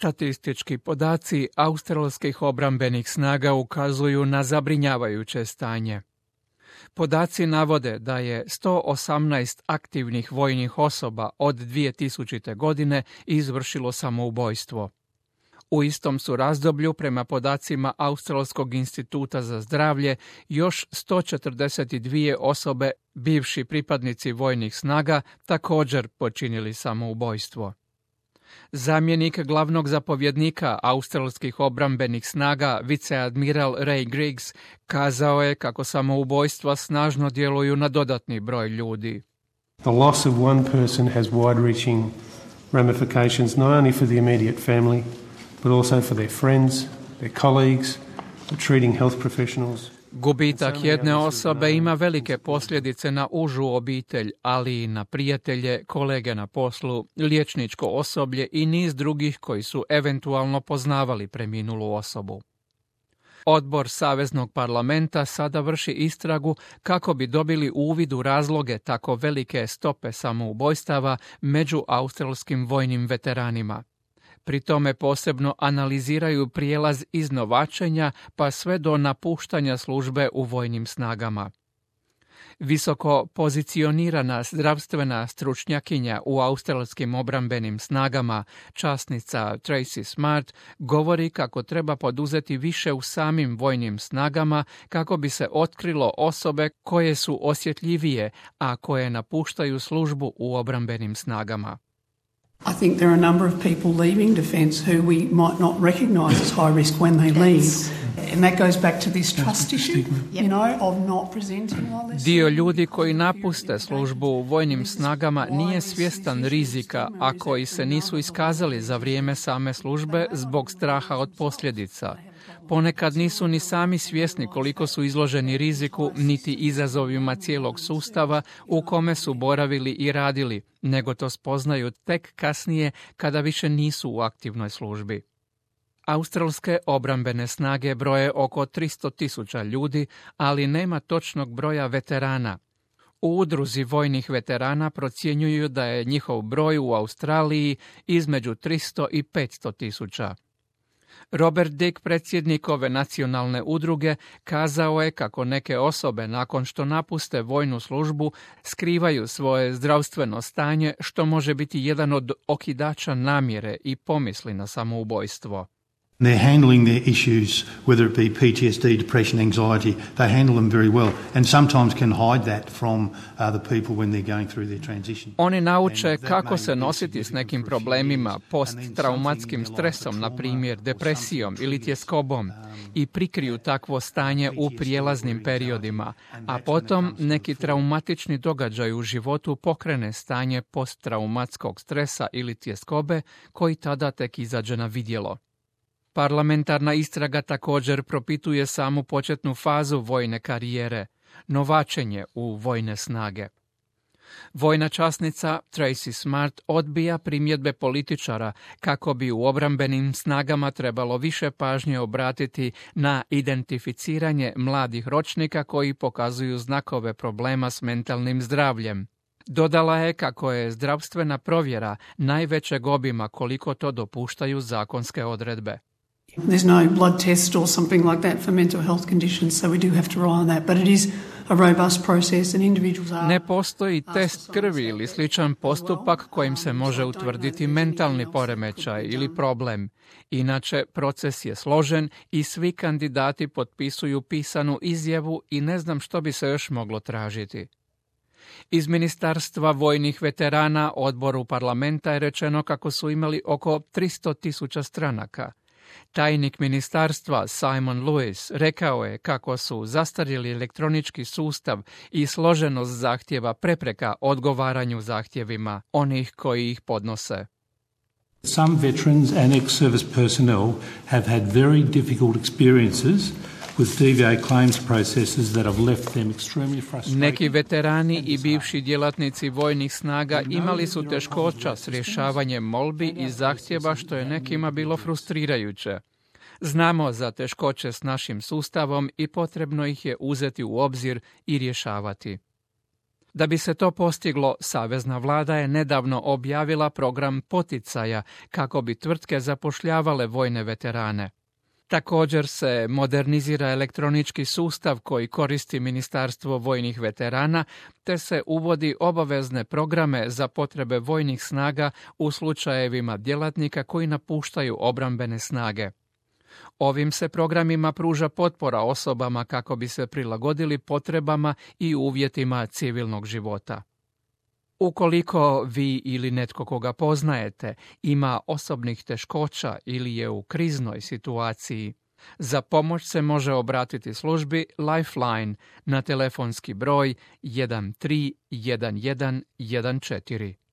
Statistički podaci australskih obrambenih snaga ukazuju na zabrinjavajuće stanje. Podaci navode da je 118 aktivnih vojnih osoba od 2000. godine izvršilo samoubojstvo. U istom su razdoblju, prema podacima Australskog instituta za zdravlje, još 142 osobe, bivši pripadnici vojnih snaga, također počinili samoubojstvo. Zamjenik glavnog zapovjednika australskih obrambenih snaga, viceadmiral Ray Griggs, kazao je kako samoubojstva snažno djeluju na dodatni broj ljudi. The loss of one person has wide-reaching ramifications not only for the immediate family, but also for their friends, their colleagues, the treating health professionals. Gubitak jedne osobe ima velike posljedice na užu obitelj, ali i na prijatelje, kolege na poslu, liječničko osoblje i niz drugih koji su eventualno poznavali preminulu osobu. Odbor Saveznog parlamenta sada vrši istragu kako bi dobili uvid u razloge tako velike stope samoubojstava među australskim vojnim veteranima. Pri tome posebno analiziraju prijelaz iz novačenja pa sve do napuštanja službe u vojnim snagama. Visoko pozicionirana zdravstvena stručnjakinja u australskim obrambenim snagama, časnica Tracy Smart, govori kako treba poduzeti više u samim vojnim snagama kako bi se otkrilo osobe koje su osjetljivije, a koje napuštaju službu u obrambenim snagama. I think there are a number of people leaving defence who we might not recognise as high risk when they leave. And that goes back to this trust issue, you know, of not presenting while they're... Dio ljudi koji napuste službu u vojnim snagama nije svjestan rizika, a koji se nisu iskazali za vrijeme same službe zbog straha od posljedica. Ponekad nisu ni sami svjesni koliko su izloženi riziku niti izazovima cijelog sustava u kome su boravili i radili, nego to spoznaju tek kasnije kada više nisu u aktivnoj službi. Australske obrambene snage broje oko 300.000 ljudi, ali nema točnog broja veterana. U udruzi vojnih veterana procjenjuju da je njihov broj u Australiji između 300 i 500.000. Robert Dick, predsjednik ove nacionalne udruge, kazao je kako neke osobe nakon što napuste vojnu službu skrivaju svoje zdravstveno stanje, što može biti jedan od okidača namjere i pomisli na samoubojstvo. They're handling their issues, whether it be PTSD, depression, anxiety, they handle them very well and sometimes can hide that from the people when they're going through their transition. Oni nauče kako se nositi s nekim problemima, posttraumatskim stresom, na primjer depresijom ili tjeskobom, i prikriju takvo stanje u prijelaznim periodima, a potom neki traumatični događaj u životu pokrene stanje posttraumatskog stresa ili tjeskobe koji tada tek izađe na vidjelo. Parlamentarna istraga također propituje samu početnu fazu vojne karijere, novačenje u vojne snage. Vojna časnica Tracy Smart odbija primjedbe političara kako bi u obrambenim snagama trebalo više pažnje obratiti na identificiranje mladih ročnika koji pokazuju znakove problema s mentalnim zdravljem. Dodala je kako je zdravstvena provjera najvećeg obima koliko to dopuštaju zakonske odredbe. There's no blood test or something like that for mental health conditions, so we do have to rely on that, but it is a robust process and individuals are... Ne postoji test krvi ili sličan postupak kojim se može utvrditi mentalni poremećaj ili problem. Inače, proces je složen i svi kandidati potpisuju pisanu izjavu i ne znam što bi se još moglo tražiti. Iz Ministarstva vojnih veterana odboru parlamenta je rečeno kako su imali oko 300.000 stranaka. Tajnik ministarstva Simon Lewis rekao je kako su zastarjeli elektronički sustav i složenost zahtjeva prepreka odgovaranju zahtjevima onih koji ih podnose. Some veterans and ex-service personnel have had very difficult experiences with DVA claims processes that have left them extremely frustrated. Neki veterani i bivši djelatnici vojnih snaga imali su teškoća s rješavanjem molbi i zahtjeva, što je nekima bilo frustrirajuće. Znamo za teškoće s našim sustavom i potrebno ih je uzeti u obzir i rješavati. Da bi se to postiglo, Savezna vlada je nedavno objavila program poticaja kako bi tvrtke zapošljavale vojne veterane. Također se modernizira elektronički sustav koji koristi Ministarstvo vojnih veterana, te se uvodi obavezne programe za potrebe vojnih snaga u slučajevima djelatnika koji napuštaju obrambene snage. Ovim se programima pruža potpora osobama kako bi se prilagodili potrebama i uvjetima civilnog života. Ukoliko vi ili netko koga poznajete ima osobnih teškoća ili je u kriznoj situaciji, za pomoć se može obratiti službi Lifeline na telefonski broj 131114.